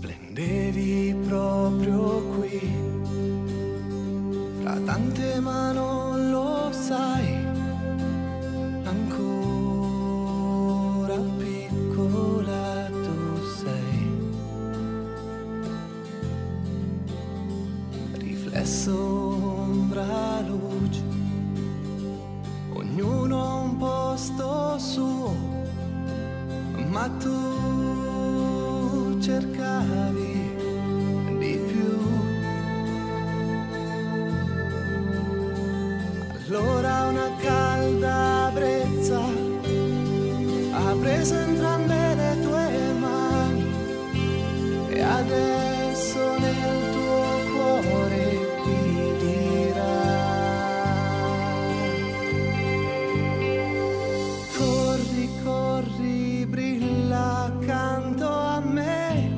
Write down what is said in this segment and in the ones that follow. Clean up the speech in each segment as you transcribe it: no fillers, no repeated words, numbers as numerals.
Splendevi proprio qui, fra tante ma non lo sai, ancora piccola tu sei. Riflesso, ombra, luce, ognuno ha un posto suo, ma tu cercavi di più. Allora una calda brezza ha preso entrambe le tue mani e adesso nel tuo cuore ti dirà. Corri, corri, brilla accanto a me,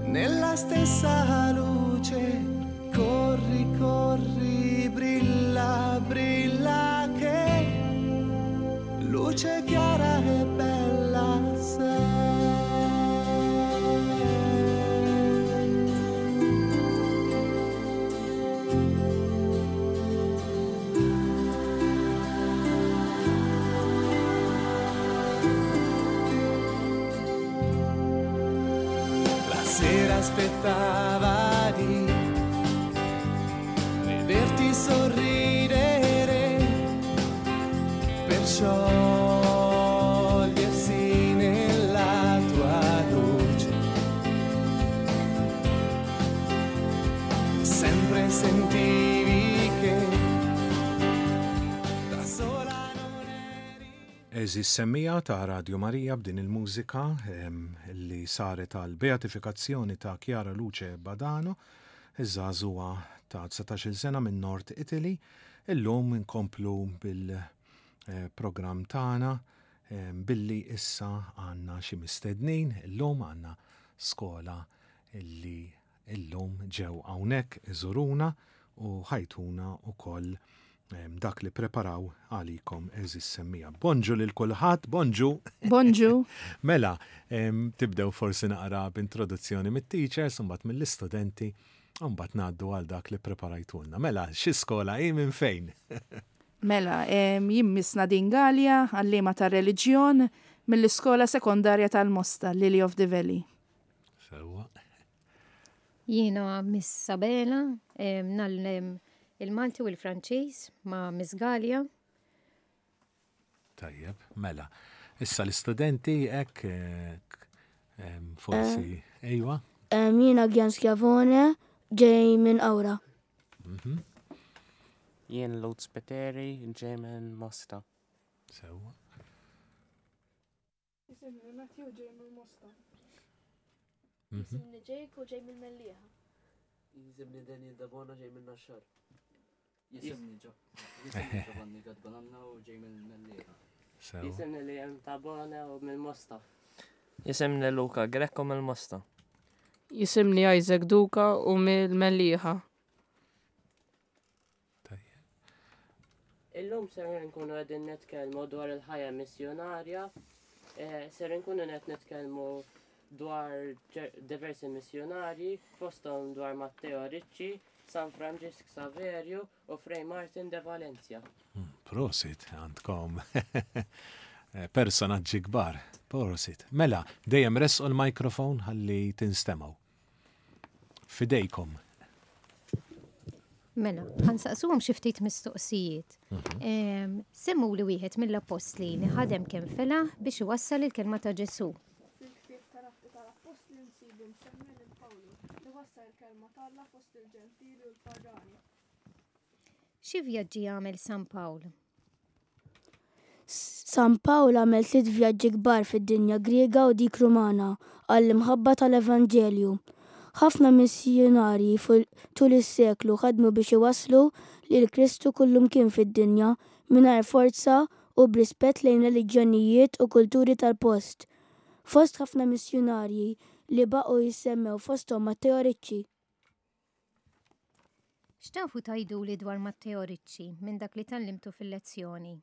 nella stessa luce. Corri, corri, brilla, brilla che luce chiara e bella sei. La sera aspettava di vederti sorridere per sciogliersi nella tua luce. Sempre sentivi che da sola non eri. Għeżież semmiegħa ta' Radio Maria b'din il-mużika li saret għal beatifikazzjoni ta' Chiara Luce Badano, iż-żagħżugħa ta' 19-il sena minn Nord Italy. Illum inkomplu bil-programm tagħna billi issa għandna xi mistednin, illum għandna skola li illum ġew hawnhekk iżuruna u ħajtuna wkoll dak li preparaw għalikom għeżież semmiegħa. Bonġu lil kulħadd, bonġu! Bonġu! Mela, tibdew forsi naqra b'introduzzjoni mit-teachers, imbagħad mill-istudenti, u mbagħad ngħaddu għal dak li preparajtulna. Mela, xi skola hi minn fejn? Mela, jien Miss Nadine Galea, għalliema tar-reliġjon mill-iskola sekondarja tal-Mosta, Lily of the Valley. Sewwa. Jiena Miss Sabela, ngħallem il-Malti u l-Franċiż ma' Miss Galea. Tajjeb, mela. Issa l-istudenti hekk forsi ejwa. Jiena Gian Schiavone, ġej minn Qawra. Mhm. Jien Lutz Peteri, ġej minn Mosta. Sewwa. Jisimni Matthew ġej mill-Mosta. Mhm. Jisimni Jake u ġej mill-Mellieħa. Jisimni Daniel Dabona ġej minn Naxxar. Jisimni Giovanni Gadbananna u ġej mill-Mellieħa. Jisimni Liam Tabona u mill-Mosta. Jisimni Luca Greco mill-Mosta. Jisimni Isaac Duka u mill-Mellieħa. Illum ser nkunu qegħdin nitkellmu dwar il-ħajja missjonarja, eh, ser nkunu qed nitkellmu dwar diversi missjonarji, fosthom dwar Matteo Ricci, San Franġisk Saverju u Frei Martin de Valencia. Hmm, prosit, għandkom eh, personaġġi kbar. Prosit. Mela, dejjem resqu l-mikrofon ħalli tinstemaw. Fidejkom. Mela, ħansaqsuhom xi ftit mistoqsijiet. Mhm. Semmu li wieħed mill-appostli li ħadem kemm fela biex iwassal il-kelma ta' Ġesù. Fil-ktieb tal-Atti tal-Appostli nsibu msemmi lil Pawlu li wassal il-kelma t'Alla fost il-Ġentili u l-pagani. Xi vjaġġi għamel San Pawl? San Pawl għamel tliet vjaġġi kbar fid-dinja Griega u dik Rumana għall-imħabba tal-Evanġelju. Ħafna missjunarji tul is-seklu ħadmu biex iwasslu lil Kristu kullumkien fid-dinja mingħajr forza u b'rispett lejn reliġjonijiet u kulturi tal-post. Fost ħafna missjunarji li baqgħu jissemmew fosthom Matteo Ricci. X'tafu tgħiduli dwar Matteo Ricci minn dak li tgħallimtu fil-lezzjoni?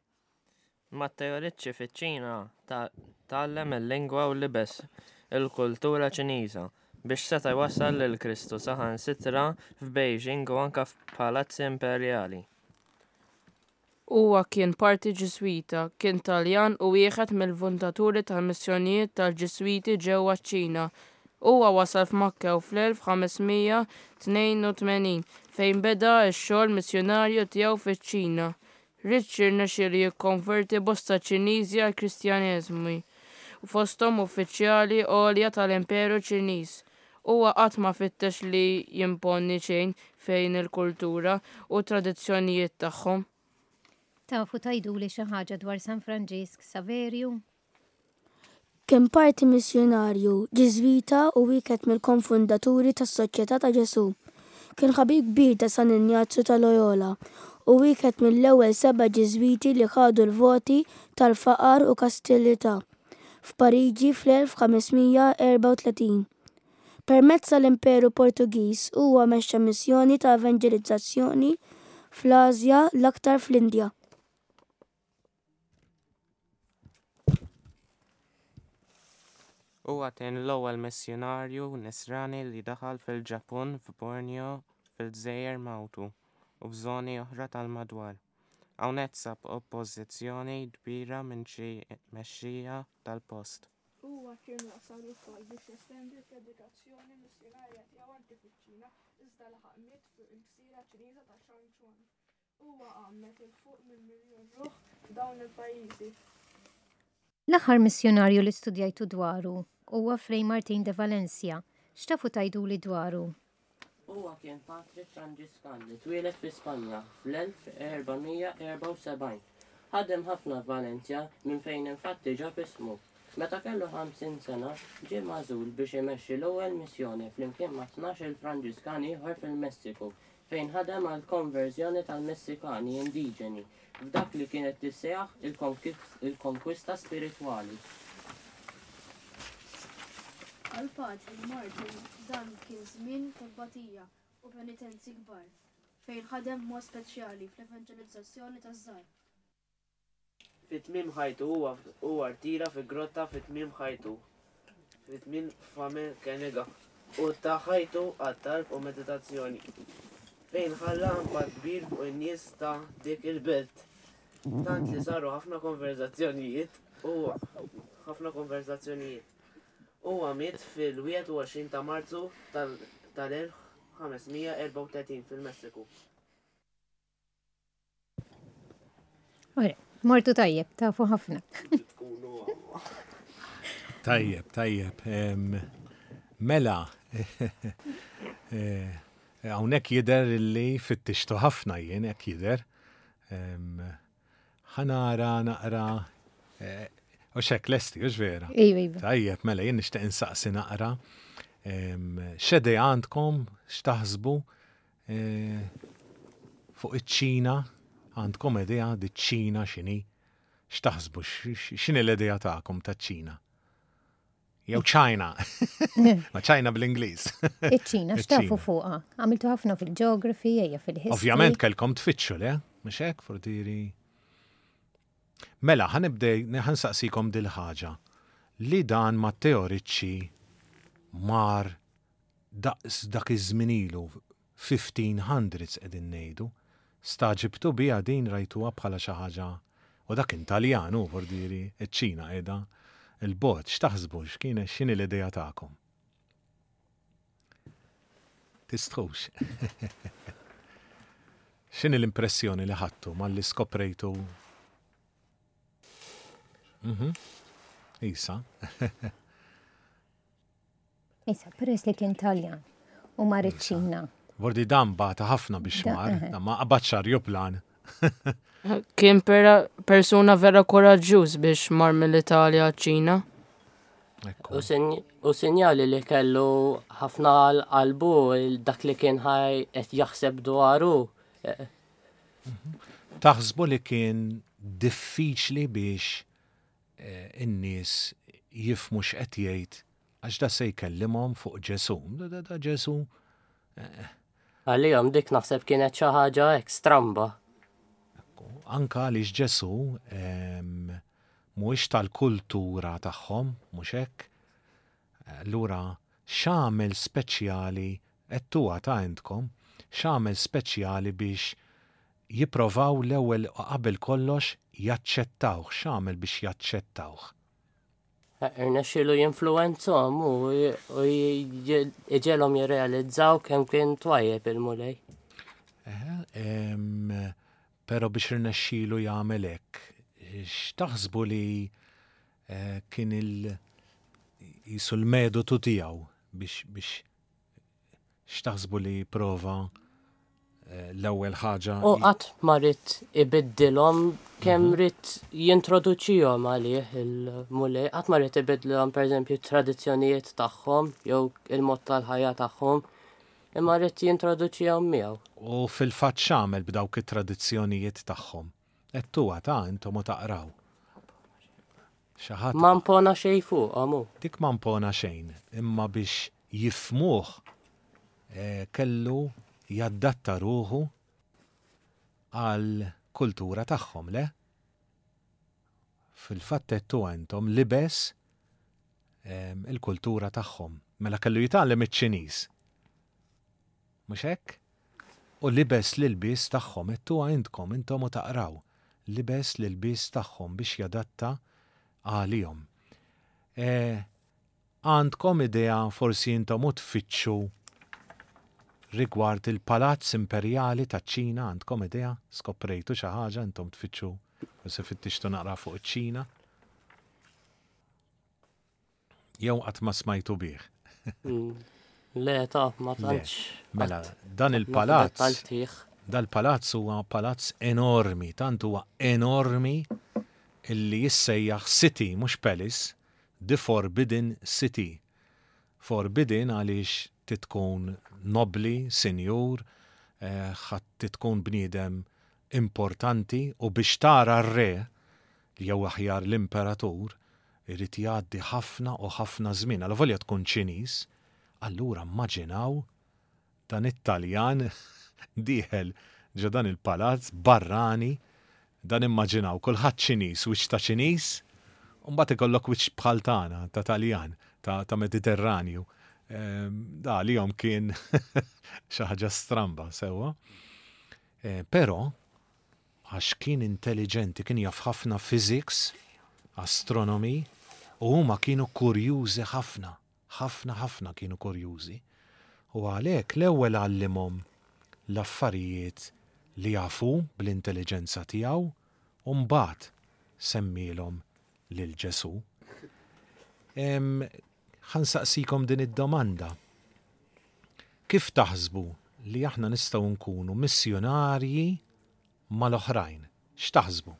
Matteo Ricci fiċ-Ċina tgħallem il-lingwa u libes il-kultura Ċiniża. biex seta' jwassal lil Kristu saħansitra f'Beijing u anke f'palazzi imperjali. Huwa kien parti Ġiżwita, kien Taljan u wieħed mill-fundaturi tal-missjonijiet tal-Ġiżwiti ġewwa ċ-Ċina. Huwa wasal f'Macau fl-1582 fejn beda x-xogħol missjunarju tiegħu fiċ-Ċina. Ricci rnexxielu jikkonverti bosta Ċiniżi għall-Kristjaneżmu, fosthom uffiċjali għolja tal-Imperu Ċiniż. Huwa qatt ma fittex li jimponi xejn fejn il-kultura u t-tradizzjonijiet tagħhom. Tafu tgħiduli xi ħaġa dwar San Franġisk Saverju? Kien parti missjunarju Ġiżwita u wieħed mill-konfundaturi tas-Soċjetà ta' Ġesù. Kien ħabib kbir ta' San Injazju ta' Loyola u wieħed mill-ewwel seba' Ġiżwiti li ħadu l-voti tal-faqar u kastilità f'Pariġi fl-1534. Permezz tal-Imperu Portugiż huwa mexxa missjoni ta' evanġelizzazzjoni fl-Asja l-aktar fl-Indja. Huwa kien l-ewwel missjunarju Nisrani li daħal fil-Ġappun f'Borneo fil-Gżejjer Mautu u f'żoni oħra tal-madwar. Hawnhekk sab oppożizzjoni kbira minn xi mexxejja tal-post. Huwa kien wasal ukoll biex jestendi l-predikazzjoni missjunarja tiegħu anki fiċ-Ċina, iżda laħaq miet fuq il-gżira Ċiniża ta' Shangchuan. Huwa għammed 'il fuq minn miljun ruħ f'dawn il-pajjiżi. L-aħħar missjunarju li studjajtu dwaru huwa Fray Martin de Valencia. X'tafu tgħiduli dwaru? Huwa kien patri Franġiskan li twieled fi Spanja fl-1474. Ħadem ħafna f'Valencia minn fejn infatti ġab ismu. Meta kellu 50 sena, ġie magħżul biex imexxi l-ewwel missjoni flimkien ma' 12-il Franġiskan ieħor fil-Messiku, fejn ħadem għall-konverżjoni tal-Messikani indiġeni f'dak li kienet tissejjaħ il-konkwista spiritwali. Għal Patri Martin dan kien żmien ta' tbatija u penitenzi kbar, fejn ħadem b'mod speċjali fl-evanġelizzazzjoni taż-żgħar. Fi tmiem ħajtu huwa huwa rtira fi grotta fi tmiem ħajtu fi tmiem Fame Kenega u ta ħajtu għat-talb u meditazzjoni, fejn ħalla impatt kbir fuq in-nies ta' dik il-belt, tant li saru ħafna konverżazzjonijiet u ħafna konverżazzjonijiet. Huwa miet fil-21 ta' Marzu tal-1534 fil-Messiku. Ora, mortu tajjeb, tafu ħafna. Tajjeb, tajjeb. Mela, eh, hawnhekk jidher li fittixtu ħafna jien hekk jidher. Ħa nara naqra eh, u xek lesti, hux vera? Iva, iva. Tajjeb, mela jien nixtieq insaqsi naqra. X'idea għandkom, x'taħsbu eh, fuq iċ-Ċina? Għandkom idea di ċ-Ċina x'inhi? X'taħsbu, x'inhi l-idea tagħkom taċ-Ċina? Jew China. Ma China bl-Ingliż. Iċ-Ċina, x'tafu fuqha? Għamiltu ħafna fil-geography, ejja fil-history. Ovvjament kellkom tfittxu, le? Mhux hekk, fordiri. Mela, ħa nibdej, ħa nsaqsikom dil-ħaġa. Li dan Matteo Ricci mar daqs dak iż-żmien ilu, 1500s qegħdin ngħidu. Stagħġibtu biha din rajtuha bħala xi ħaġa u dak kien Taljan hu vordieri ċ-Ċina qiegħda 'l bogħod. X'taħsbu x'kien x'inhi l-idea tagħkom? Tistħux. X'inhi l-impressjoni li ħadtu malli skoprejtu? Mhm. Isa. Issa, peress li kien Taljan u mar iċ-Ċina. Vordi dan bata ħafna biex mar, ma qabadx arjuplan. Kien persuna vera koraġġuż biex mar mill-Italja ċ-Ċina. U sinjali li kellu ħafna għal qalbu dak li kien ħaj qed jaħseb dwaru. Taħsbu li kien diffiċli biex in-nies jifhmu x'qed jgħid għax da se jkellimhom fuq Ġesù. Da, da, da Ġesù. Eh. Għalihom dik naħseb kienet xi ħaġa hekk stramba. Anka għaliex Ġesù mhuwiex tal-kultura tagħhom, mhux hekk? Allura. X'għamel speċjali, għedtuha ta' intkom, x'għamel speċjali biex jipprovaw l-ewwel u qabel kollox jaċċettawh, x'għamel biex jaċċettawh? Irnexxielu jinfluwenzhom u iġegħelhom jirrealizzaw kemm kien twajjeb il-Mulej. Però biex irnexxielu jagħmel hekk, x'taħsbu li eh, kien il jisu l-metodu tiegħu biex biex x'taħsbu li prova eh, l-ewwel ħaġa? U qatt ma ried ibiddilhom kemm mhm. ried jintroduċihom għalih il-Mulej, qatt ma ried ibiddilhom pereżempju t-tradizzjonijiet tagħhom jew il-mod tal-ħajja tagħhom, imma ried jintroduċihom miegħu. U fil-fatt x'għamel b'dawk it-tradizzjonijiet tagħhom? Għedtuha ta' intom u taqraw. Xi ħadd. Ma mpona xejn fuqhom hu. Dik ma mpona xejn, imma biex jifhmuh kellu jaddatta ruħu għall-kultura tagħhom, le? Fil-fatt għedtuha intom, libes il-kultura tagħhom. Mela kellu jitgħallem iċ-Ċiniż. Mhux hekk? U libes l-ilbies tagħhom, għedtuha intkom, intom u taqraw, libes l-ilbies tagħhom biex jadatta għalihom. E, għandkom idea forsi intom u tfittxu rigward il-Palazz Imperjali taċ-Ċina, għandkom idea? Skoprejtu xi ħaġa intom tfittxu, forsi fittixtu naqra fuq iċ-Ċina? Jew qatt ma smajtu bih? Mm. Le, ta' ma tantx. Mela, dan il-palazz. Dal-palazz huwa palazz enormi, tant huwa enormi illi jissejjaħ City, mhux Palace, The Forbidden City. Forbidden għaliex titkun nobli, sinjur, eh, ħadd titkun bniedem importanti u biex tara r-re, jew aħjar l-imperatur, irid jgħaddi ħafna u ħafna żmien, alavolja tkun Ċiniż, allura mmaġinaw dan it-Taljan dieħel ġo dan il-palazz barrani, dan immaġinaw kulħadd Ċiniż, wiċċ ta' Ċiniż, u mbagħad ikollok wiċċ bħal tagħna, ta' Taljan, ta' Mediterranju. Da għalihom kien xi ħaġa stramba, sewwa. Però għax kien intelliġenti, kien jaf ħafna physics, astronomy, u huma kienu kurjużi ħafna, ħafna ħafna kienu kurjużi. U għalhekk l-ewwel għallimhom l-affarijiet li jaf hu bl-intelliġenza tiegħu u mbagħad semmielhom lil Ġesù. Ħa nsaqsikom din id-domanda. Kif taħsbu li aħna nistgħu nkunu missjunarji mal-oħrajn? X'taħsbu?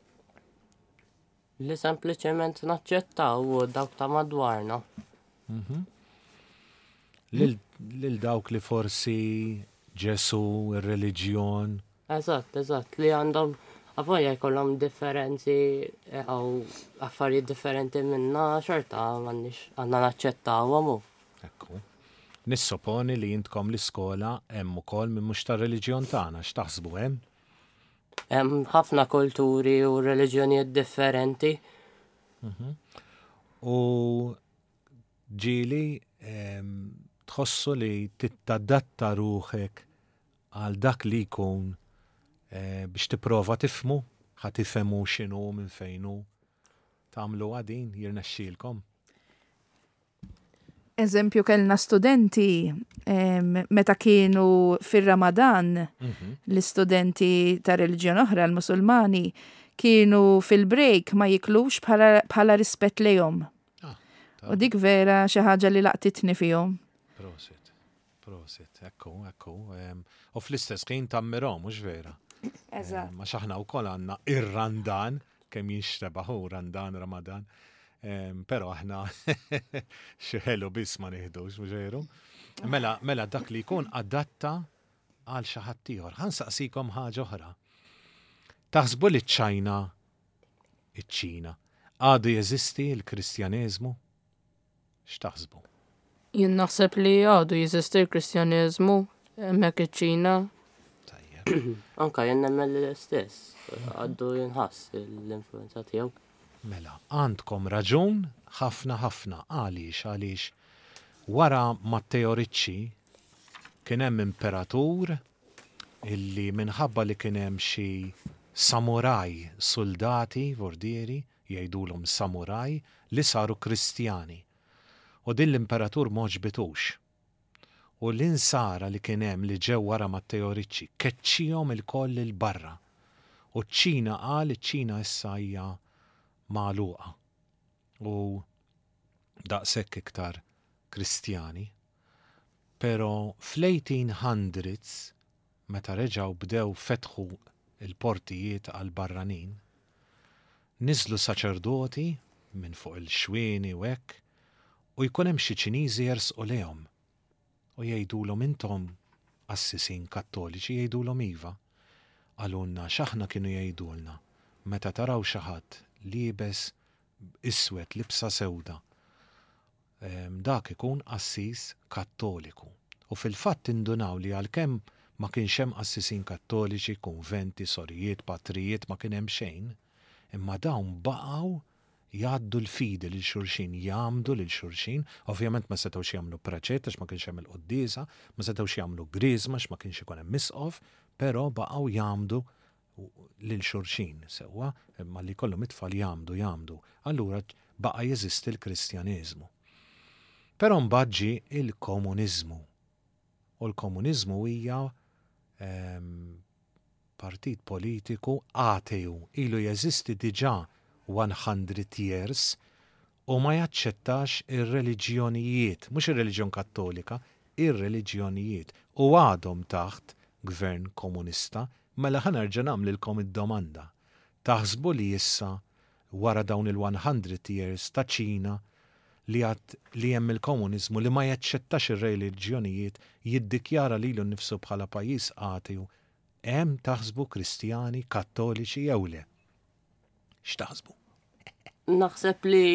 Li sempliċement naċċettaw dawk ta' madwarna. Mhm. Lil dawk li forsi Ġesu, ir-reliġjon. Eżatt, eżatt, li għandhom avolja jkollhom differenzi jew affarijiet differenti minna xorta m'għandniex għandna naċċettawhom u. Ekku. Nissoponi li intkom l-iskola hemm ukoll min mhux tar-reliġjon tagħna, x'taħsbu hemm? Hemm ħafna kulturi u reliġjonijiet differenti. Mhm. U ġieli ehm, tħossu li tittadatta ruħek għal dak li jkun eh, biex tipprova tifhmu, ħa tifhemu x'inhu minn fejn hu. Tagħmluha din jirnexxielkom. Eżempju kellna studenti meta kienu fir-Ramadan, mhm. l-istudenti ta' reliġjon oħra, l-Musulmani, kienu fil-break ma jiklux bħala rispett lejhom. Ah, U dik vera xi ħaġa li laqtitni fihom. Prosit. Prosit, ekku, ekku. U fl-istess ħin tammirhom, mhux vera? Eżatt. Għax aħna wkoll għandna ir-Randan, kemm jinxtebaħ hu Randan, Ramadan. Però aħna xi ħelu biss ma nieħdux, mhux veru? Mela, mela dak li jkun adatta għal xi ħadd ieħor. Ħa nsaqsikom ħaġa oħra. Taħsbu li ċ-Ċajna, iċ-Ċina, għadu jeżisti l-Kristjaneżmu? X'taħsbu? Jien naħseb li għadu jeżisti l-Kristjaneżmu hemmhekk iċ-Ċina. Tajjeb. Anka jien nemmen li l-istess, għadu jinħass l-influenza tiegħu. Mela, għandkom raġun ħafna ħafna. Għaliex? Għaliex Wara Matteo Ricci kien hemm imperatur illi minħabba li kien hemm xi samuraj suldati vordieri jgħidulhom samuraj li saru Kristjani. U din l-imperatur m'għoġbitux. U l-insara li kien hemm li ġew wara Matteo Ricci keċċihom ilkoll 'il barra. U ċ-Ċina qal iċ-Ċina issa hija magħluqa. U daqshekk iktar Kristjani. Pero fl-1800s meta reġgħu bdew fetħu l-portijiet għall-barranin, niżlu saċerdoti minn fuq il-xwieni u hekk, u jkun hemm xi Ċiniżi jersqu lejhom u jgħidulhom intom qassisin Kattoliċi jgħidulhom iva. Qalulna x'aħna kienu jgħidulna meta taraw xi ħadd liebes iswed libsa sewda dak ikun qassis Kattoliku. U fil-fatt indunaw li għalkemm ma kienx hemm qassisin Kattoliċi, kunventi, sorijiet, patrijiet, ma kien hemm xejn, imma dawn baqgħu jgħaddu l-fidi lil xulxin, jgħammdu lil xulxin, ovvjament ma setgħux jagħmlu preċett għax ma kienx hemm il-quddiesa, ma setgħux jagħmlu griżma għax ma kienx ikun hemm isqof, però baqgħu jgħammdu lil xulxin, sewwa, imma li jkollhom it-tfal jgħammdu, jgħammdu. Allura baqa' jeżisti l-Kristjaneżmu. Però mbagħad ġie il-komuniżmu. U l-komuniżmu hija ehm, partit politiku ateju, ilu jeżisti diġà 100 years u ma jaċċettax ir-reliġjonijiet, mhux ir-reliġjon Kattolika, ir-reliġjonijiet, u għadhom taħt gvern komunista, mela ħa nerġa' nagħmlilkom id-domanda. Taħsbu li issa, wara dawn il-100 years ta' Ċina li għad li hemm il-komuniżmu li ma jaċċettax ir-reliġjonijiet jiddikjara lilu nnifsu bħala pajjiż ateju, hemm taħsbu Kristjani Kattoliċi jew le? X'taħsbu? Naħseb li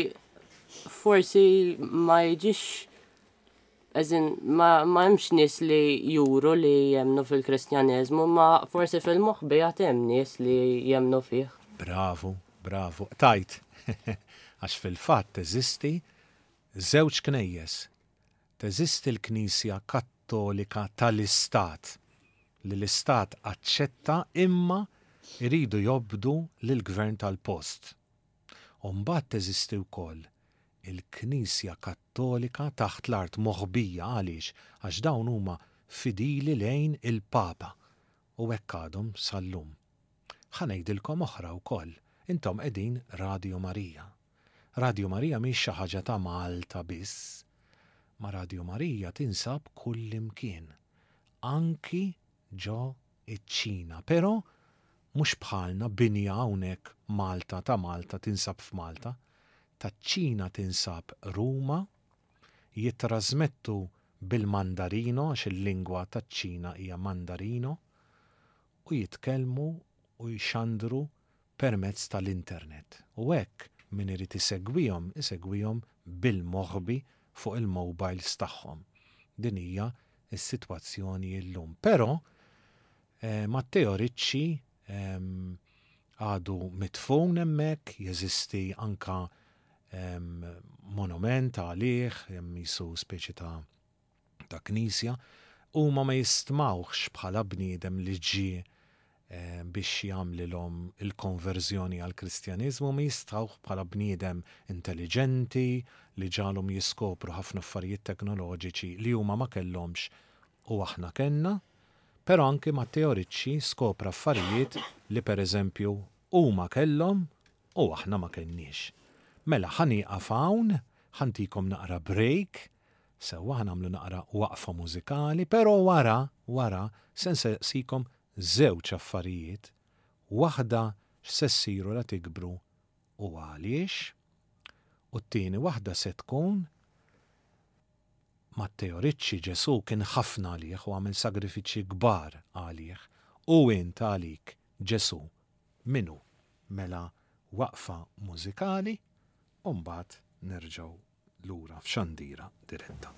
forsi ma jiġix as in, ma, ma hemmx nies li juru li jemnu fil-Kristjaneżmu, ma forsi fil-moħbi għad hemm nies li jemnu fih. Bravu, bravu. Tajt, għax fil-fatt teżisti żewġ knejjes. Teżisti l-Knisja Kattolika tal-Istat, li l-Istat aċċetta imma jridu jobdu lill-gvern tal-post. U mbagħad teżisti wkoll il-Knisja Kattolika taħt l-art moħbija għaliex? Għax dawn huma fidili lejn il-Papa u hekk għadhom sal-lum. Ħa ngħidilkom oħra wkoll, intom qegħdin Radio Marija. Radio Marija mhix xi ħaġa ta' Malta biss, ma Radio Marija tinsab kullimkien, anki ġo iċ-Ċina, però mhux bħalna binja hawnhekk Malta ta' Malta tinsab f'Malta, taċ-Ċina tinsab Ruma, jittrasmettu bil-Mandarino għax il-lingwa taċ-Ċina hija Mandarino u jitkellmu u jxandru permezz tal-internet u hekk min irid isegwihom isegwihom bil-moħbi fuq il-mobiles tagħhom. Din hija s-sitwazzjoni llum. Però Matteo Ricci għadu midfun hemmhekk, jeżisti anka monument għalih, hemm qisu speċi ta' ta' knisja, huma ma jistmawhx bħala bniedem li ġie biex jagħmlilhom il-konverżjoni għall-Kristjaniżmu, ma jistgħuh bħala bniedem intelliġenti li ġagħalhom jiskopru ħafna affarijiet teknoloġiċi li huma ma kellhomx u aħna kellna. Però anki Matteo Ricci skopra affarijiet li pereżempju huma kellhom u aħna ma kellniex. Mela ħa nieqaf hawn, ħa ntikom naqra break, Sewwa ħa nagħmlu naqra waqfa mużikali, però wara, wara, se nsaqsikom żewġ affarijiet, waħda x'se ssiru la tikbru u għaliex, u t-tieni waħda se tkun Matteo Ricci Ġesù kien ħafna għalih u għamel sagrifiċċji kbar għalih, u int għalik Ġesù min hu? Mela waqfa mużikali u mbagħad nerġgħu lura f'xandira diretta.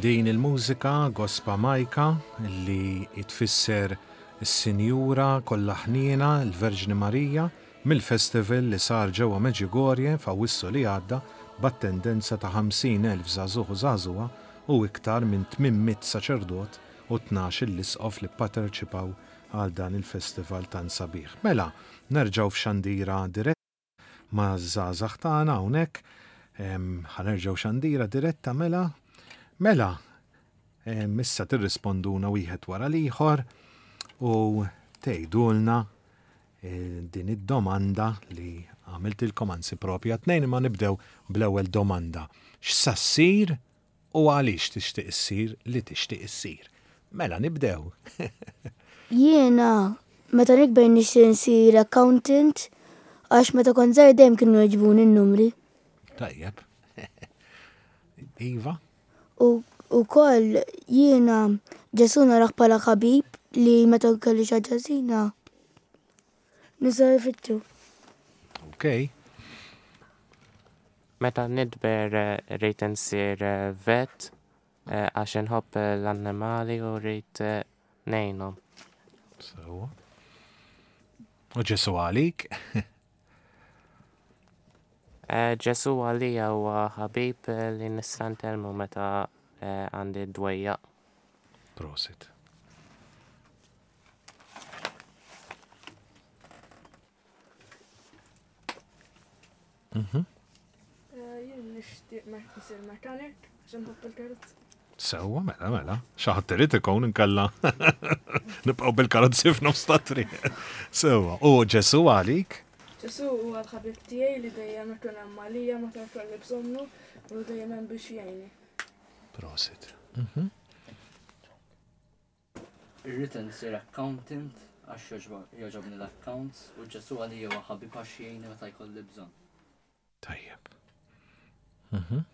Minn din il-mużika Gospa Majka li tfisser is-Sinjura kollha ħniena, il-Verġni Marija, mill-festival li sar ġewwa Medjugorje f'Awwissu li għadda b'attendenza ta' 50,000 żagħżugħ u żagħżugħa u iktar minn 800 saċerdot u 12-il isqof li ppaterċipaw għal dan il-festival tant sabiħ. Mela, nerġgħu f'xandira diretta maż-żgħażagħ tagħna hawnhekk. Ħa nerġgħu xandira diretta mela. Mela, issa tirrisponduna wieħed wara l-ieħor u tgħidulna eh, din id-domanda li għamiltilkom anzi propja tnejn imma nibdew bl-ewwel domanda. X'sa ssir U għaliex tixtieq issir li tixtieq issir? Mela nibdew. Jiena meta nikber nixtieq insir accountant għax meta kont żgħir dejjem kienu jogħġbuni n-numri. Tajjeb. Iva? U wkoll jiena Ġesù narah bħala ħabib li meta kelli xi ħaġa ħażina nista' nfittxu. Okay. Meta nikber rrid insir vet għax inħobb l-annimali u rrid ngħinhom. Sewwa. U Ġesù għalik? Ġesù għalija huwa ħabib li nista' nkellmu meta għandi d-dwejjaq. Prosit. Mhm. Eh, jien nixtieq nisir mechanic, għax inħobb il-karozzi. Sewwa, mela, mela. Xi ħadd irid ikun inkella nibqgħu bil-karozzi f'nofs ta' triq. Sewwa. U Ġesù għalik? Ġesù huwa l-ħabib tiegħi li dejjem ikun hemm għalija meta jkolli bżonnu u dejjem hemm biex jgħinni. Prosit. Mhm. Irrid insir accountant għax jogħġobni l-accounts u Ġesù għalija huwa ħabib għax jgħinni meta jkolli bżonn. Tajjeb. Mhm.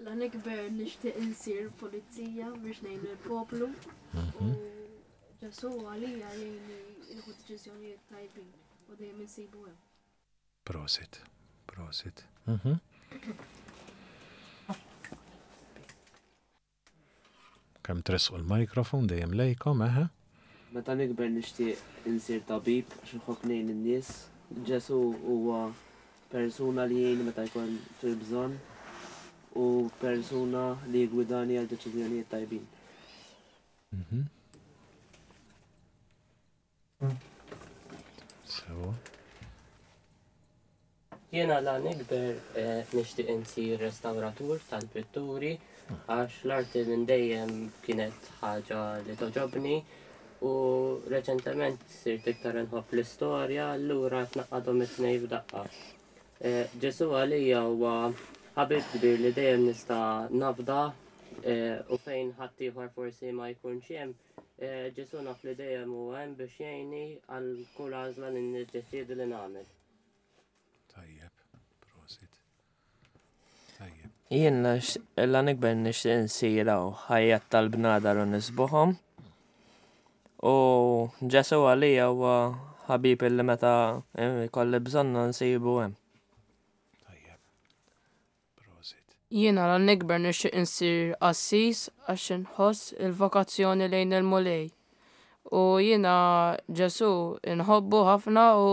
La nikber nixtieq insir pulizija biex ngħin il-poplu. Mhm. U Ġesù għalija jgħinni nieħu deċiżjonijiet tajbin u dejjem insibu hemm. Prosit, prosit. Mhm. Kemm tressqu l-mikrofon dejjem lejkom, eħe. Meta nikber nixtieq insir tabib għax inħobb ngħin in-nies. Ġesù huwa persuna li jgħinni meta jkun fil-bżonn u persuna li jiggwidani għal deċiżjonijiet tajbin. Mhm. Sewa. Jiena la nikber eh, nixtieq insir restauratur tal-pitturi għax l-arti minn dejjem kienet ħaġa li toġobni u reċentement sirt iktar inħobb l-istorja allura tnaqqadhom it-tnejn f'daqqa. Eh, Ġesu għalija huwa ħabib kbir li dejjem nista' nafda eh, u fejn ħaddieħor forsi ma jkunx hemm Ġesù naf li dejjem huwa hemm biex jgħinni għal kull għażla li niddeċiedi li nagħmel. Tajjeb, prosit. Tajjeb. Jien la nikber nixtieq insir hawn ħajjat tal-bnadar u nisbuħhom. U Ġesù għalija huwa ħabib illi meta jkolli bżonnu nsibu hemm. Tajjeb. Prosit. Jiena la nikber nixtieq insir qassis għax inħoss il-vokazzjoni lejn il-Mulej. U jiena Ġesù inħobbu ħafna u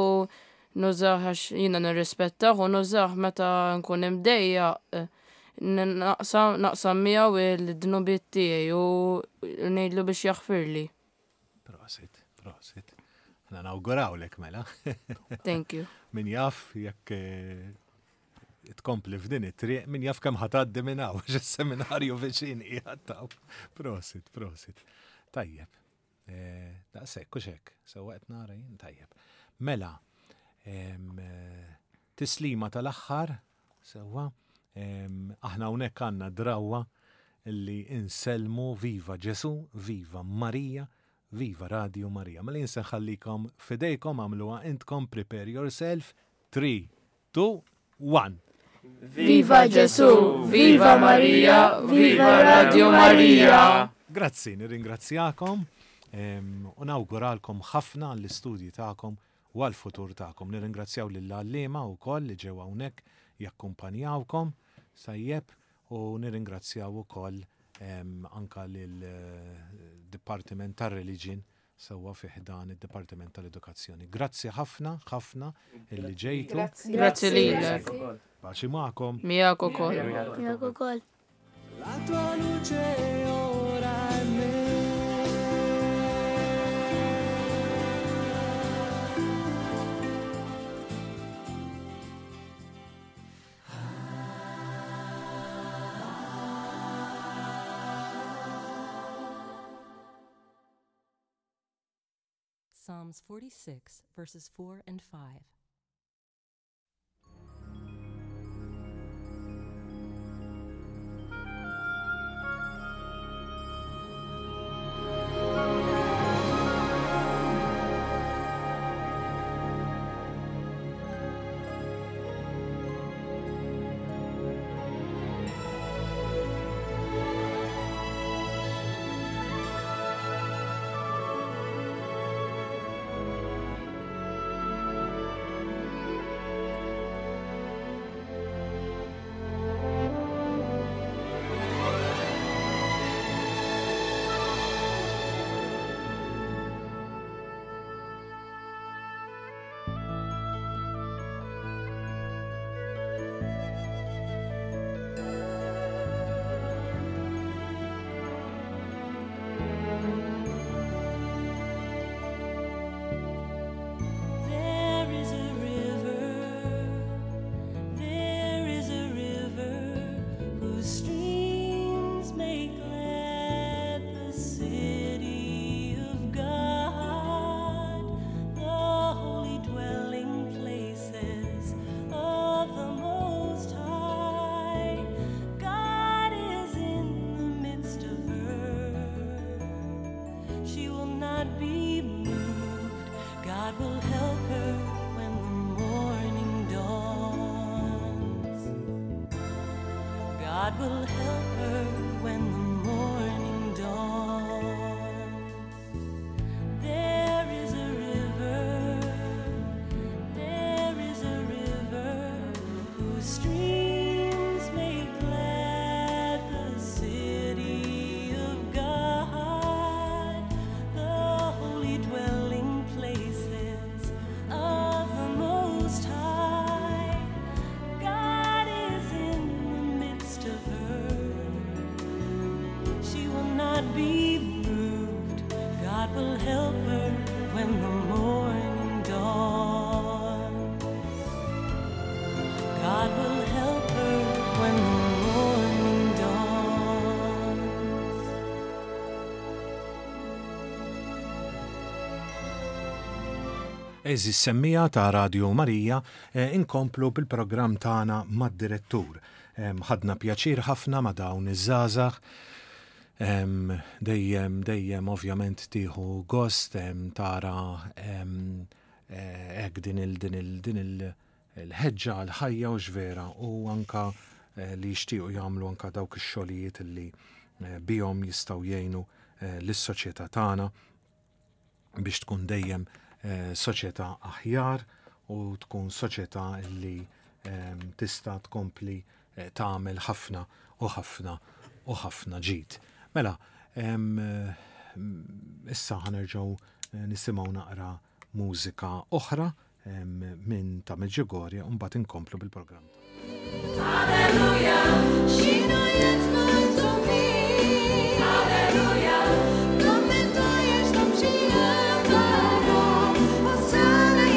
nużah għax jiena nirrispettah u nużah meta nkun imdejjaq naqsam naqsam miegħu il-dnubiet tiegħi u ngħidlu biex jaħfirli. Prosit, prosit. Aħna nawgurawlek mela. Thank you. Min jaf jekk eh, tkompli f'din it-triq, min jaf kemm ħatgħaddi minn hawn, għax is-seminarju viċin qiegħed taw. Prosit, prosit. Tajjeb. Eh, daqshekk, u hekk, sewwa qed nara jien tajjeb. Mela, eh, tislima tal-aħħar, sewwa, aħna hawnhekk għandna drawwa li insellmu viva Ġesu, viva Marija, viva Radio Marija. Mela jien se nħallikom f'idejkom għamluha intkom prepare yourself 3 2, 1. Viva Ġesu, viva Marija, viva Radio Marija! Grazzi, nirringrazzjakom u nawguralkom ħafna għall-istudji tagħkom u għall-futur tagħkom. Nirringrazzjaw lill-għalliema wkoll li ġew hawnhekk jakkumpanjawkom. Tajjeb, u nirringrazzjaw ukoll anka lil-Dipartiment tar-Religion sewwa fi ħdan id-Dipartiment tal-Edukazzjoni. Grazzi ħafna, ħafna illi ġejtu. Grazzi lilek. Paċi magħkom. Miegħek ukoll. Miegħek ukoll. La tua luce ora è me. Psalms 46, verses 4 and 5. There is a river, there is a river whose streams make glad the city of God, the holy dwelling places of the Most High. God is in the midst of her. She will not be moved. God will help her when the morning dawns. God will help her when the morning dawns. There is a river, there is a river whose streams make glad the city of God, the holy dwelling places of the Most High. God is in the midst of her. She will not be moved. God will help her when the morning dawns. God will help her when the morning dawns. Eżis semmija ta' Radio Marija, inkomplu bil-programm tagħna mad-direttur. Ħadna pjaċir ħafna ma' dawn iż-żgħażagħ. Dejjem, dejjem ovvjament tieħu gost tara hekk din il din il din il il-ħeġġa għall-ħajja u x'vera u anka li jixtiequ jagħmlu anka dawk ix-xogħlijiet li bihom jistgħu jgħinu lis-soċjetà tagħna biex tkun dejjem soċjetà aħjar u tkun soċjetà li tista' tkompli tagħmel ħafna u ħafna u ħafna ġid. Mela, issa ħanerġgħu nisimgħu naqra mużika oħra minn ta' Medjugorje u mbagħad inkomplu bil-programm. Hosanna,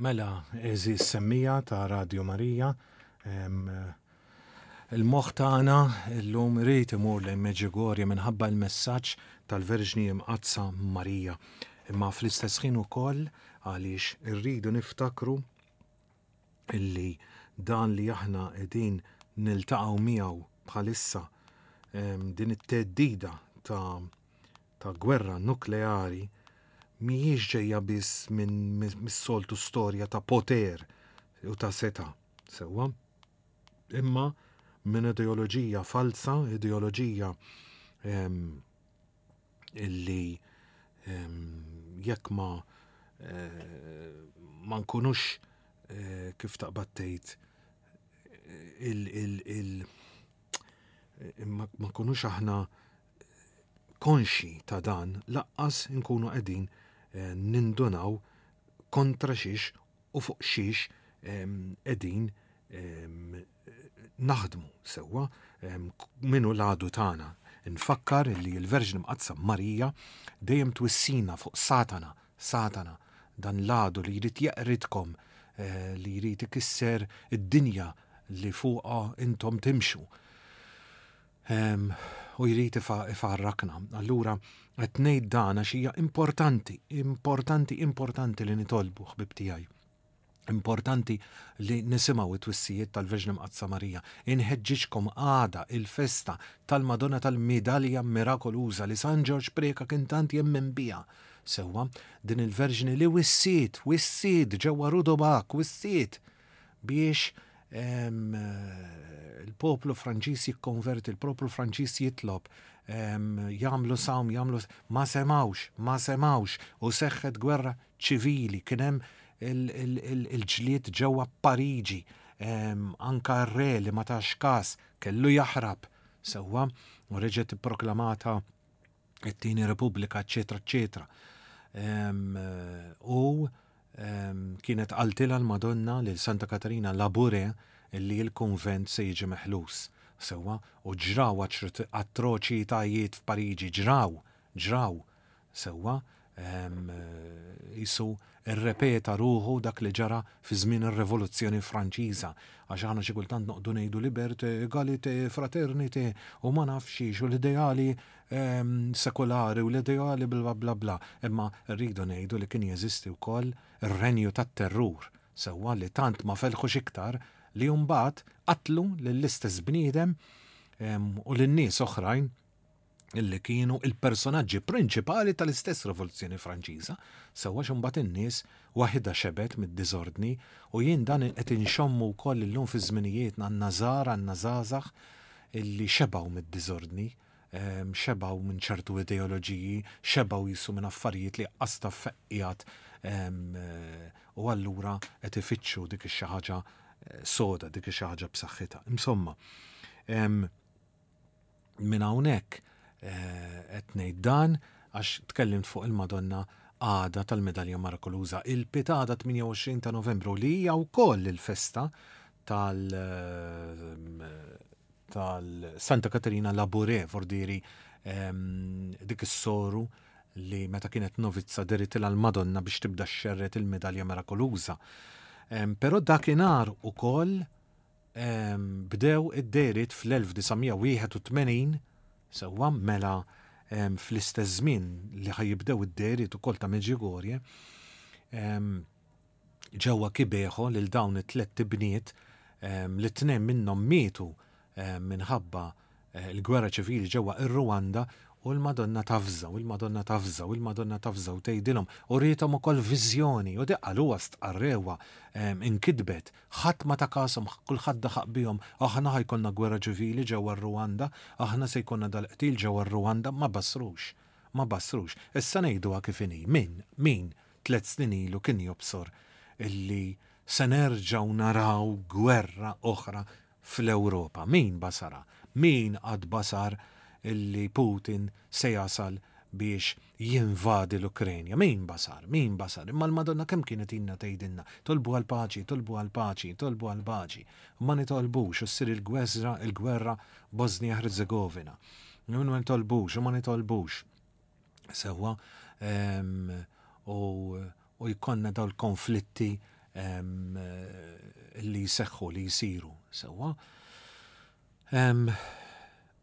Mela, għeżież semmiegħa ta' Radju Marija, il-moħħ tagħna llum irid imur lejn Medjugorje minħabba l-messaġġ tal-Verġni Imqaddsa Marija. Imma fl-istess ħin ukoll għaliex irridu niftakru illi dan li aħna qegħdin niltaqgħu miegħu bħalissa din it-theddida ta' ta' gwerra nukleari mhijiex ġejja biss minn mis-soltu storja ta' poter u ta' setgħa, sewwa, imma minn ideoloġija falsa, ideoloġija illi jekk ma eh, ma nkunux eh, kif taqbad tgħid il, il, il ma nkunux aħna konxji ta' dan laqqas inkunu qegħdin eh, nindunaw kontra xiex u fuq xiex qegħdin naħdmu sewwa minu l-għadu tagħna. Nfakkar li l-Verġni Mqaddsa Marija dejjem twissina fuq Satana, Satana, dan l-għadu li jrid jeqridkom, eh, li jrid ikisser id-dinja li fuqha intom timxu. U jrid ifarrakna. Allura qed ngħid dan għax hija importanti, importanti, importanti li nitolbu ħbib tiegħi. Importanti li nisimgħu it-twissijiet tal-Verġni Mqaddsa Marija. Inħeġġiġkom għada il-festa tal-Madonna tal-Midalja Mirakoluża li San Ġorġ Preca kien tant jemmen biha. Sewwa, din il-Verġni li wissiet, wissiet ġewwa Rudobak, wissiet biex il-poplu Franċiż jikkonverti, il-poplu Franċiż jitlob, jagħmlu sawm, jagħmlu ma semawx, ma semawx u seħħet gwerra ċivili, kien hemm il-ġlied ġewwa Pariġi, anka r-re li ma tax każ kellu jaħrab sewwa u reġgħet ipproklamata it-tieni Repubblika, eċetera, eċetera. U kienet qaltilha l-Madonna lil Santa Katarina Labouré illi l-kunvent se jiġi meħlus. Sewwa, u ġraw atroċitajiet f'Pariġi, ġraw, ġraw. Sewwa, qisu rrepeta ruħu dak li ġara fi żmien ir-Rivoluzzjoni Franċiża, għax aħna xi kultant noqogħdu ngħidu liberté, égalité, fraternité u ma nafx xiex u l-ideali sekulari u l-ideali bla bla bla, imma rridu ngħidu li kien jeżisti wkoll ir-renju tat-terrur, sewwa li tant ma felħux iktar li mbagħad qatlu lill-istess bniedem u lil nies oħrajn illi kienu il-personaġġi prinċipali tal-istess Rivoluzzjoni Franċiża, sewwa x'imbagħad in-nies waħidha xebgħet mid-diżordni u jien dan qed inxommu wkoll illum fi żminijietna għandna żgħar, għandna żgħażagħ illi xebgħu mid-diżordni, xebgħu minn ċertu ideoloġiji, xebgħu jisu minn affarijiet li qas taf fejn qiegħed u allura qed ifittxu dik ix-xi ħaġa soda, dik ix-xi ħaġa b'saħħitha. Insomma, Minn hawnhekk qed ngħid dan għax tkellimt fuq il-Madonna għada tal-Medalja Mirakoluża. Il-Pitada 28 ta' Novembru li hija wkoll il-festa tal tal Santa Katerina Labouré, vordieri dik is-soru li meta kienet novizza deritilha l-Madonna biex tibda xxerred il-Medalja Mirakoluża. Però dakinhar ukoll Bdew id-dehriet fl-1981, sewwa, mela fl-istess żmien li ħa jibdew id-dehriet ukoll ta' Medjugorje, ġewwa Kibeho lil dawn it-tlett ibniet li tnejn minnhom mietu minħabba l-gwerra ċivili ġewwa ir-Rwanda u l-Madonna tavża u l-Madonna tavża u l-Madonna tavża u tgħidilhom u riethom ukoll viżjoni u di qaluha stqarrewha inkitbet ħadd ma ta kashom kulħadd daħaq bihom aħna ħa jkollna gwerra ċivili ġewwa r-Rwanda aħna se jkollna dal-qtil ġewwa r-Rwanda ma bassrux ma bassrux issa ngħiduha kif inhi min min tlett snin ilu kien jobsor illi se nerġgħu naraw gwerra oħra fl-Ewropa. Min basarha? Min qatt basar illi Putin se jasal biex jinvadi l-Ukrenja? Min basar? Min basar? Imma l-Madonna kemm kienet ilna tgħidilna, tolbu għall-paċi, tolbu għall-paċi, tolbu għall-paċi. Ma nitolbux u ssir il-gweżra, il-gwerra Bosnia-Herzegovina. Ma nitolbux u ma nitolbux. Sewwa, u jkollna dawn il-konflitti li jseħħu li jsiru sewwa.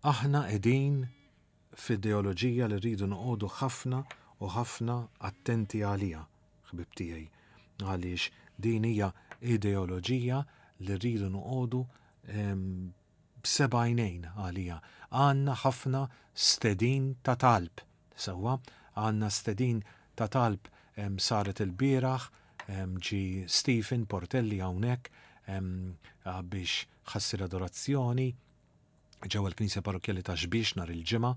Aħna qegħdin f'ideoloġija li rridu noqogħdu ħafna u ħafna attenti għaliha, ħbieb tiegħi, għaliex din hija ideoloġija li rridu noqogħdu b'seba' għajnejn għaliha. Għandna ħafna stedin ta' talb, sewwa, għandna stedin ta' talb saret ilbieraħ, ġie Stephen Portelli hawnhekk biex ħa ssir adorazzjoni ġewwa l-Knisja Parrokkjali ta' Xbiex nhar il-Ġimgħa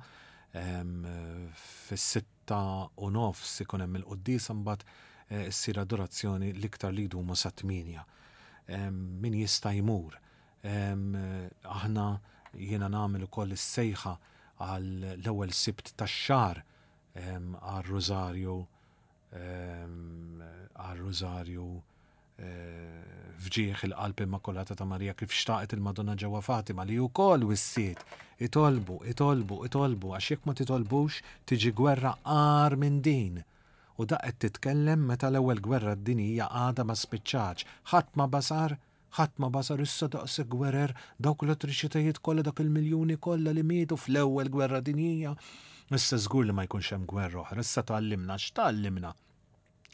fis-6:30 ikun hemm il-quddiesa mbagħad eh, ssir adorazzjoni l-iktar li jdumu sa 8. Min jista' jmur. Aħna jiena nagħmel ukoll is-sejħa għal l-ewwel Sibt tax-xahar għar-Rużarju għar-Rużarju f'ġieħ il-Qalb Immakulata ta' Marija kif xtaqet il-Madonna ġewwa Fatima li wkoll wissiet itolbu, itolbu, itolbu għax jekk ma titolbux tiġi gwerra agħar minn din. U da qed titkellem meta l-ewwel gwerra dinjija għadha ma spiċċatx. Ħadd ma basar, ħadd ma basar issa daqshekk gwerer, dawk l-atroċitajiet kollha, dak il-miljuni kollha li mietu fl-ewwel gwerra dinjija. Issa żgur li ma jkunx hemm gwerra oħra, issa tgħallimna, x'tgħallimna?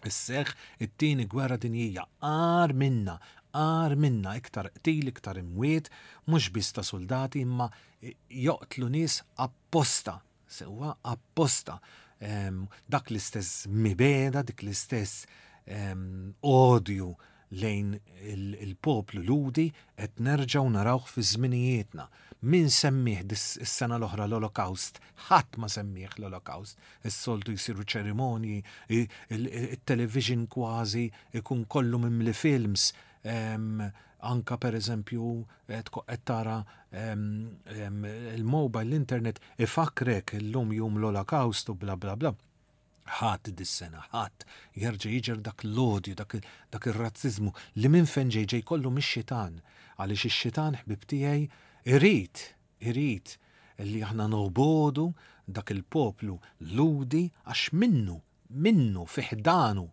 Isseħħ it-tieni gwerra dinjija, agħar minna, agħar minna, iktar qtil, iktar imwiet, mhux biss ta' suldati imma joqtlu nies apposta, sewwa apposta. Dak l-istess mibegħda, dik l-istess odju lejn il-poplu Lhudi qed nerġgħu narawh fi żminijietna. Min semmih is-sena l-oħra l-Olokawst? Ħadd ma semmih l-Olokawst. Is-soltu jsiru ċerimonji, it-television kważi ikun kollu mimli films, anka per eżempju qed tara il-mobile, l-internet ifakkrek illum jum l-Olokawst u bla bla bla. Ħadd dis-sena, ħadd jerġa' jiġer dak l-odju, dak ir-razziżmu li minn fejn ġej ġej kollu mix-xitan. Għaliex ix-xitan ħbib tiegħi irid, irid li aħna nobogħdu dak il-poplu Lhudi għax minnu, minnu fi ħdanu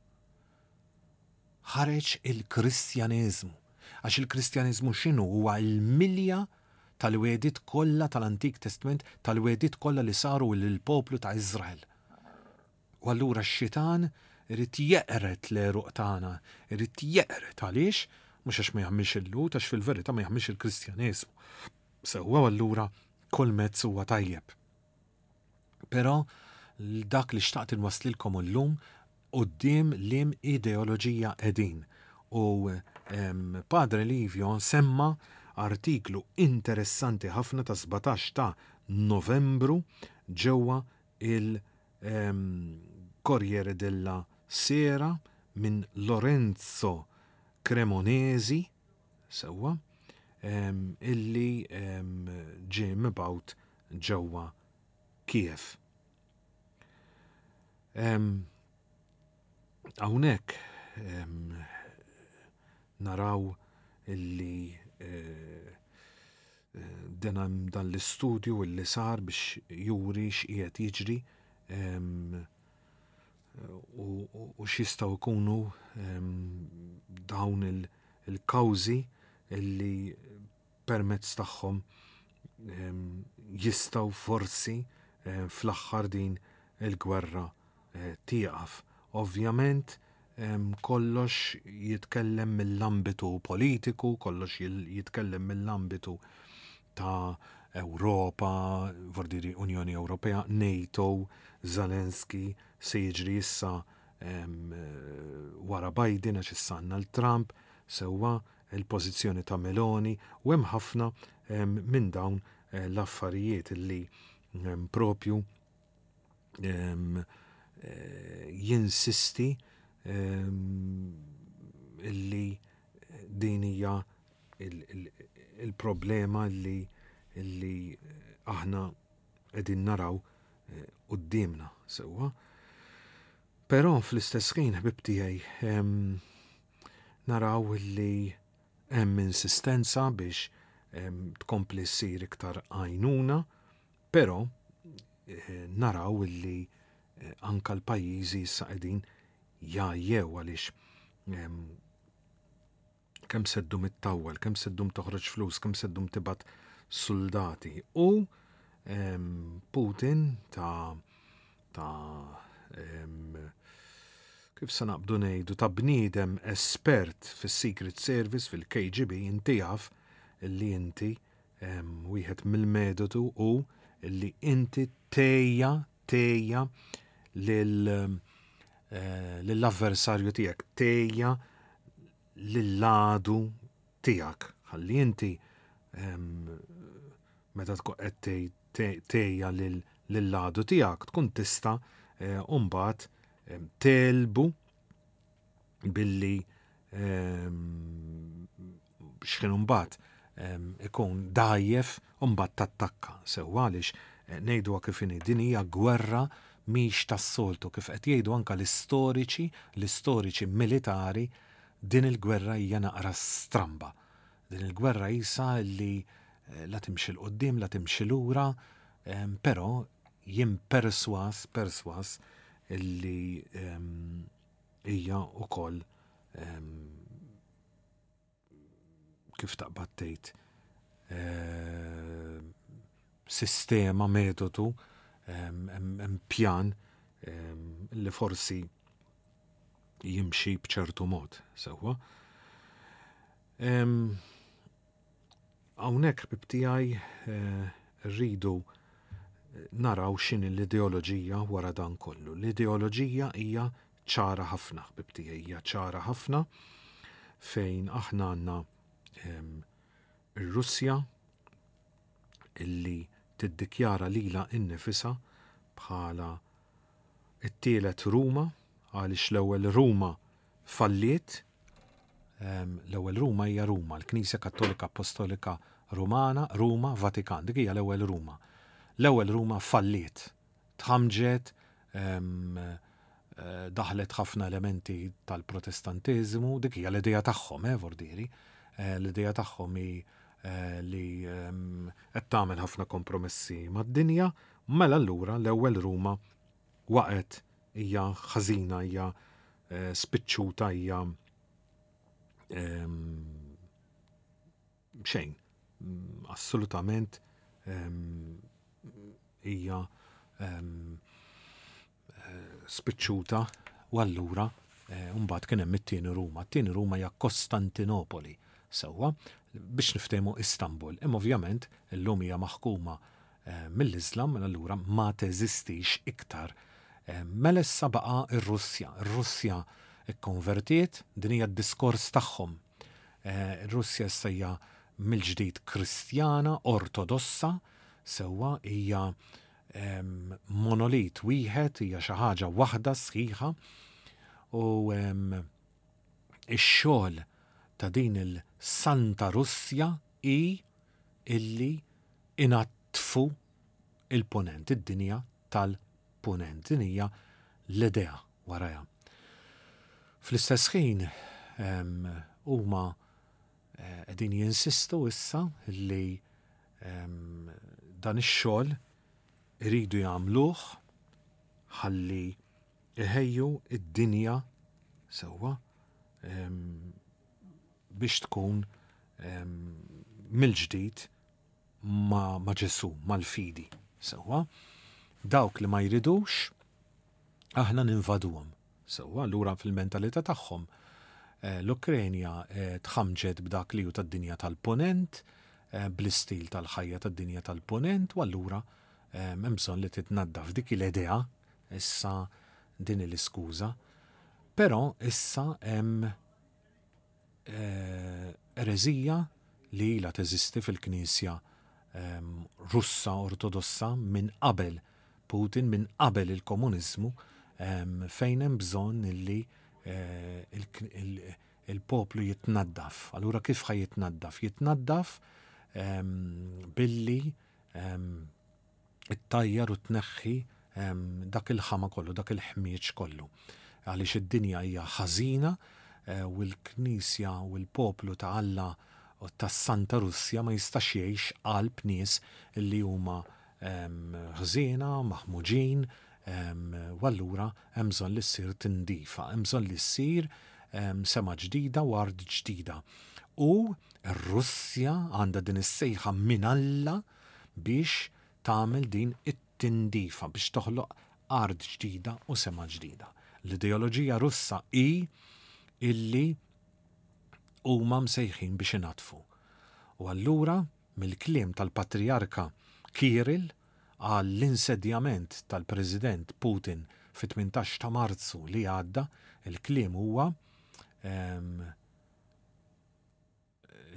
ħareġ il-Kristjaneżmu. Għax il-Kristjaneżmu x'inhu? Huwa l-milja tal-wegħdiet kollha tal-Antik Testment, tal-wegħdiet kollha li saru lill-poplu ta' Iżrael. U allura x-xitan irid jeqred l-għeruq tagħna, irid jeqred għaliex? Mhux għax ma jaħmilx il-Lhud, għax fil-verità ma jaħmilx il-Kristjaneżmu. Sewwa allura kull mezz huwa tajjeb. Però dak li xtaqt inwasslilkom illum quddiem liem ideoloġija qegħdin. U Padre Livio semma artiklu interessanti ħafna ta' 17 ta' Novembru ġewwa il Corriere della Sera minn Lorenzo Cremonesi, sewwa, illi ġie mibgħut ġewwa Kiev. Hawnhekk naraw illi eh, eh, dan l-istudju illi sar biex juri x'qiegħed jiġri u x'jistgħu jkunu dawn il-kawżi illi permezz tagħhom jistgħu forsi fl-aħħar din il-gwerra eh, tieqaf. Ovvjament kollox jitkellem mill-ambitu politiku, kollox jitkellem mill-ambitu ta' Ewropa, vordiri Unjoni Ewropea, NATO, Zelensky, se jiġri issa wara Biden għax issa għandna l-Trump, sewwa il-pożizzjoni ta' Meloni u hemm ħafna minn dawn eh, l-affarijiet li propju eh, jinsisti illi din hija il-problema li illi aħna qegħdin naraw eh, quddiemna sewwa. Però fl-istess ħin ħbib tiegħi naraw li hemm insistenza biex tkompli ssir iktar għajnuna, però eh, naraw li eh, anka l-pajjiżi issa qegħdin jgħajjew għaliex. Kemm se ddum ittawwal, kemm se ddum toħroġ flus, kemm se ddum tibgħat suldati. U Putin ta' ta' kif se naqbdu ngħidu ta' bniedem espert fis-Secret Service fil-KGB inti jaf li inti wieħed mill-metodu u li inti tejja tejja lil eh, lill-avversarju tiegħek, tejja lill-għadu tiegħek. Ħalli inti meta tkun qed tejja lill-għadu tiegħek tkun tista' eh, mbagħad telbu billi x'kien imbagħad ikun dgħajjef u mbagħad tattakka. Sewwa għaliex eh, ngħiduha kif inhi din hija gwerra mhix tas-soltu kif qed jgħidu anke l-istoriċi, l-istoriċi militari din il-gwerra hija naqra stramba. Din il-gwerra jisa li eh, la timxi 'l quddiem, la timxi lura, però jien perswas, perswas illi hija wkoll kif taqbad tgħid eh, sistema, metodu, hemm pjan li forsi jimxi b'ċertu mod, sewwa. Hawnhekk ħbieb tiegħi rridu naraw x'inhi l-ideoloġija wara dan kollu. L-ideoloġija hija ċara ħafna, ħbieb tiegħi, hija ċara ħafna fejn aħna għandna ir-Russja illi tiddikjara lilha innifisha bħala it-tielet Ruma għaliex l-ewwel Ruma falliet. L-ewwel Ruma hija Ruma, l-Knisja Kattolika Appostolika Rumana, Ruma, Vatikan, dik hija l-ewwel Ruma. L-ewwel Ruma falliet, tħamġet, eh, daħlet ħafna elementi tal-Protestantiżmu, dik hija l-idea tagħhom, eh, vordieri. Eh, l-idea tagħhom hi eh, li qed tagħmel ħafna kompromessi mad-dinja, mela allura l-ewwel Ruma waqgħet hija ħażina, hija eh, spiċċuta, hija ehm, xejn. Mm, assolutament ehm, hija ehm, eh, spiċċuta u allura eh, mbagħad kien hemm it-tieni Ruma. It-tieni Ruma hija Kostantinopoli sewwa biex niftehmu Istanbul. Imma ovvjament illum hija maħkuma mill-Iżlam, mela allura ma teżistix iktar. Mela issa baqa' r-Russja. Ir-Russja kkonvertiet, din hija d-diskors tagħhom. Ir-Russja issa hija mill-ġdid Kristjana, Ortodossa, sewwa hija monolit wieħed, hija xi ħaġa waħda sħiħa u ix-xogħol ta' din il-Santa Russja hi illi inaddfu il-Punent, id-dinja tal-Punent. Din hija l-idea warajha. Fl-istess ħin huma eh, qegħdin jinsistu issa li dan ix-xogħol iridu jagħmluh ħalli iħejju id-dinja sewwa biex tkun mill-ġdid ma', ma Ġesù, mal-fidi. Sewwa, dawk li ma jridux, aħna ninvaduhom. Sewwa, allura fil-mentalità tagħhom eh, l-Ukrenja eh, tħamġet b'dak li hu tad-dinja tal-ponent, eh, bl-istil tal-ħajja tad-dinja tal-ponent, u allura hemm bżonn li titnaddaf dik l-idea issa din l-iskuża. Però issa hemm ereżija li ilha teżisti fil-Knisja Russa Ortodossa minn qabel Putin, minn qabel il-komuniżmu, fejn hemm bżonn li eh, il-poplu jitnaddaf. Allura kif ħa jitnaddaf? Jitnaddaf billi ittajjar u tneħħi dak il-ħama kollu, dak il-ħmieġ kollu. Għaliex id-dinja hija ħażina eh, u l-Knisja u l-poplu ta' Alla u tas-Santa Russja ma jistax jgħix qalb nies li huma ħżiena, maħmuġin, u allura hemm bżonn li ssir tindifa, hemm bżonn li ssir sema ġdida u art ġdida. U r-Russja għandha din is-sejħa minn Alla biex tagħmel din it-tindifa biex toħloq art ġdida u sema ġdida. L-ideoloġija Russa hi illi huma msejħin biex inaddfu. U allura mill-kliem tal-Patrijarka Kirill għall-insedjament tal-President Putin fit-18 ta' Marzu li għadda, il-kliem huwa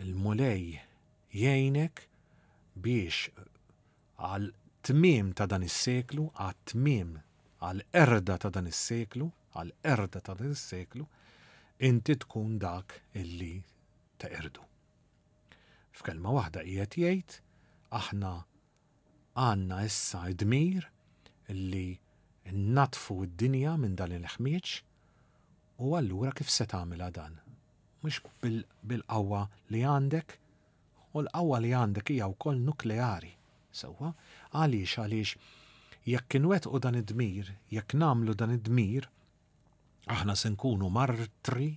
il-Mulej jgħinek biex għal tmiem ta' dan is-seklu, għat-tmiem, għall-qerda ta' dan is-seklu, għall-qerda ta' dan is-seklu, inti tkun dak illi teqirdu. F'kelma waħda qiegħed jgħid aħna għandna issa d-dmir li nnaddfu d-dinja minn dan il-ħmieġ u allura kif se tagħmilha dan? Mhux bil-qawwa li għandek? U l-qawwa li għandek hija wkoll nukleari. Sewwa? Għaliex? Għaliex jekk inwettqu dan id-dmir, jekk nagħmlu dan id-dmir, aħna se nkunu martri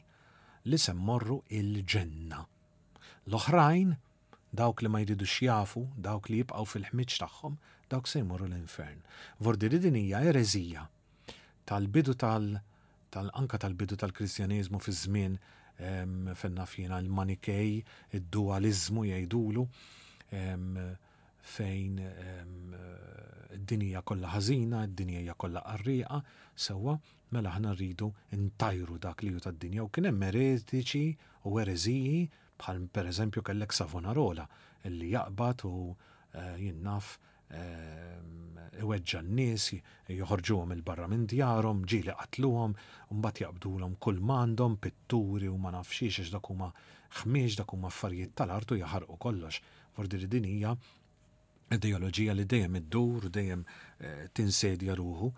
li se mmorru il-ġenna. L-oħrajn, dawk li ma jridux jafu, dawk li jibqgħu fil-ħmieġ tagħhom, dawk se jmorru l-infern. Vordi li din hija ereżija tal-bidu tal tal anka tal-bidu tal-Kristjaneżmu fi żmien fejn naf jiena l-Manikej, id-dualiżmu jgħidulu, fejn id-dinja hija kollha ħażina, id-dinja hija kollha qarrieqa, sewwa, mela aħna rridu ntajru dak li hu tad-dinja u kien hemm eretiċi u ereżiji bħal pereżempju kellek Savonarola li jaqbad u eh, jien naf iweġġa' n-nies, joħorġuhom 'il barra minn djarhom, ġieli qatluhom, u mbagħad jaqbdulhom kull m'għandhom, pitturi u ma nafx xiex għax dak huma ħmieġ, dak huma affarijiet tal-art u jaħarqu kollox. Vordi li din hija ideoloġija li dejjem iddur u dejjem tinsedja ruħu,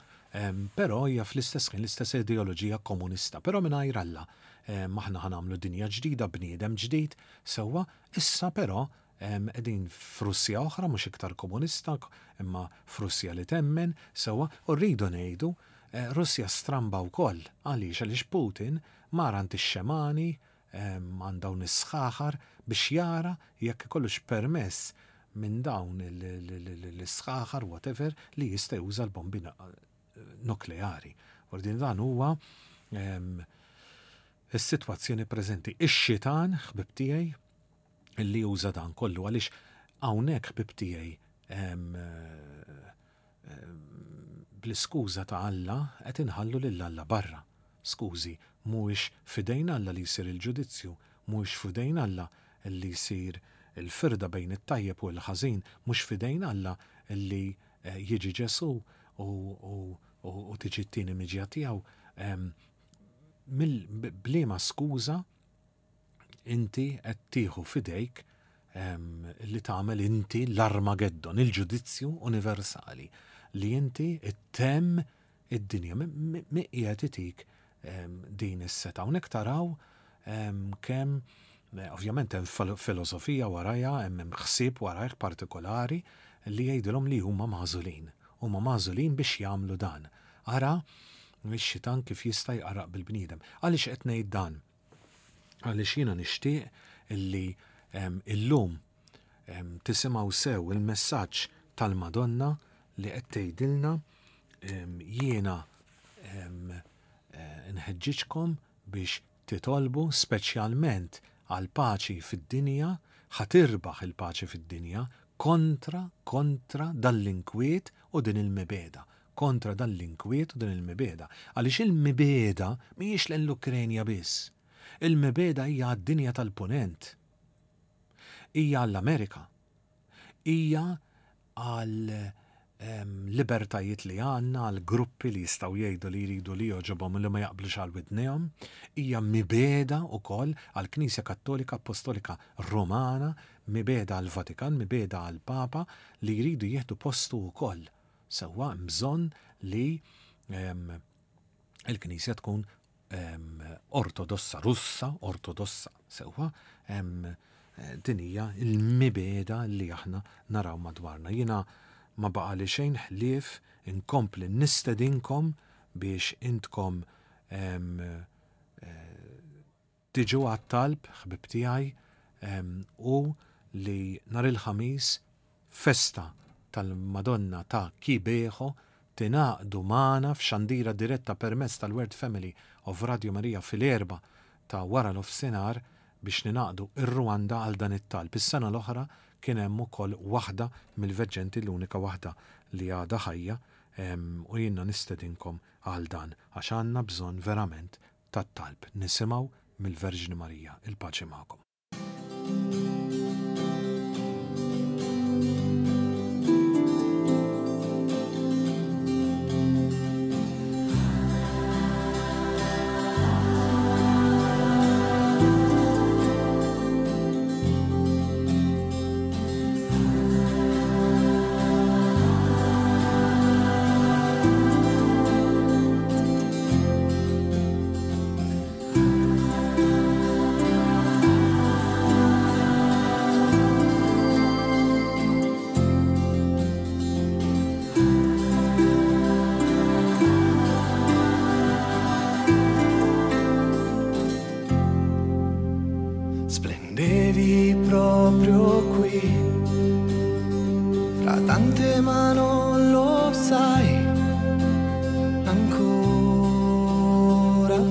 però hija fl-istess ħin l-istess ideoloġija komunista, però mingħajr Alla. Aħna ħa nagħmlu dinja ġdida, bniedem ġdid, sewwa, issa però Qegħdin f'Russja oħra, mhux iktar komunista, imma f'Russja li temmen, sewwa, u rridu ngħidu, Russja stramba wkoll. Għaliex? Għaliex Putin mar għand ix-xemani, għand dawn is-sħaħar biex jara jekk ikollux permess minn dawn l-isħaħar, whatever, li jista' juża l-bombi nukleari. Ordin dan huwa is-sitwazzjoni preżenti. Ix-xitan, ħbib tiegħi, li juża dan kollu għaliex hawnhekk ħbib tiegħi bl-iskuża ta' Alla qed inħallu lil Alla barra. Skużi, mhuwiex f'idejn Alla li jsir il-ġudizzju, mhuwiex f'idejn Alla li jsir il-firda bejn it-tajjeb u l-ħażin, mhux f'idejn Alla li eh, jiġi Ġesù u tiġi t-tieni miġja tiegħu. Bliema skuża inti qed tieħu f'idejk li tagħmel inti l-Armageddon, il-ġudizzju universali, li inti ttemm id-dinja. Min qiegħed itik din is-setgħa? Hawnhekk taraw kemm ovvjament hemm filosofija warajha, hemm ħsieb warajh partikolari li jgħidilhom li huma magħżulin. Huma magħżulin biex jagħmlu dan. Ara x-xitan kif jista' jqarraq bil-bniedem. Għaliex qed ngħid dan? Għaliex jiena nixtieq illi illum tisimgħu sew il-messaġġ tal-Madonna li qed tgħidilna jiena eh, nħeġġiġkom biex titolbu speċjalment għal paċi fid-dinja, ħa tirbaħ il-paċi fid-dinja kontra kontra dal-inkwiet u din il-mibegħda. kontra dan l-inkwiet u din il-mibegħda. Għaliex il-mibegħda mhijiex lejn l-Ukrenja biss. Il-mibegħda hija għad-dinja tal-Punent. Hija għall-Amerika. Hija għal ehm, libertajiet li għandna, għal gruppi li jistgħu jgħidu li jridu li jogħġobhom u li ma jaqblux għal widnejhom. Hija mibegħda wkoll għall-Knisja Kattolika Appostolika Romana, mibegħda għall-Vatikan, mibegħda għall-Papa li jridu jieħdu postu wkoll. Sewwa hemm bżonn li il-Knisja tkun ortodossa, Russa ortodossa, sewwa din hija l-mibegħda li aħna naraw madwarna. Jiena ma baqali xejn ħlief inkompli nistedinkom biex intkom eh, Tiġu għat-talb, ħbieb tiegħi, hu li nhar il-Ħamis festa tal-Madonna ta' Kibeho tingħaqdu magħna f'xandira diretta permezz tal-World Family of Radio Maria fil-Erbgħa ta' wara nofsinhar biex ningħaqdu r-Rwanda għal dan it-talb. Is-sena l-oħra kien hemm ukoll waħda mill-veġġenti l-unika waħda li għadha ħajja u jiena nistedinkom għal dan għax għandna bżonn verament tat-talb. Nisimgħu mill-Verġni Marija. Il-paċi magħkom. Splendevi proprio qui, fra tante ma non lo sai, ancora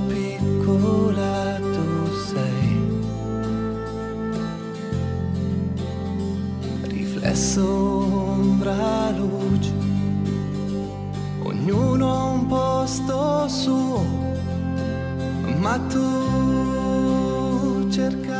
piccola tu sei. Riflesso, ombra, luce, ognuno ha un posto suo, ma tu cercavi.